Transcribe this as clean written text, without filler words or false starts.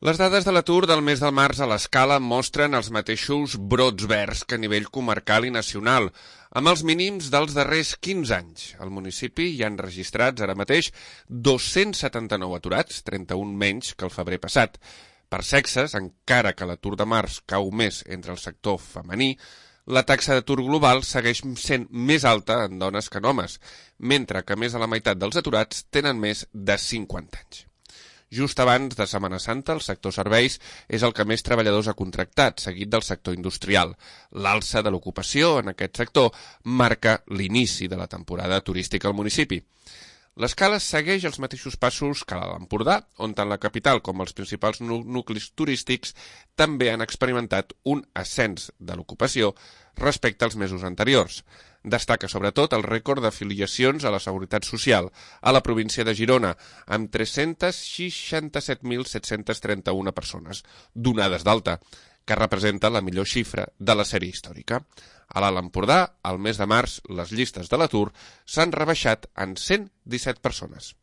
Les dades de l'atur del mes de març a l'Escala mostren els mateixos brots verds que a nivell comarcal i nacional, amb els mínims dels darrers 15 anys. Al municipi hi han registrats ara mateix 279 aturats, 31 menys que el febrer passat. Per sexes, encara que l'atur de març cau més entre el sector femení, la taxa d'atur global segueix sent més alta en dones que en homes, mentre que més de la meitat dels aturats tenen més de 50 anys. Just abans de Setmana Santa, el sector serveis és el que més treballadors ha contractat, seguit del sector industrial. L'alça de l'ocupació en aquest sector marca l'inici de la temporada turística al municipi. L'Escala segueix els mateixos passos que l'Empordà, on tant la capital com els principals nuclis turístics també han experimentat un ascens de l'ocupació respecte als mesos anteriors. Destaca sobretot el rècord d'afiliacions a la Seguretat Social a la província de Girona, amb 367.731 persones donades d'alta, que representa la millor xifra de la sèrie històrica. A l'Alt Empordà, al mes de març, les llistes de l'atur s'han rebaixat en 117 persones.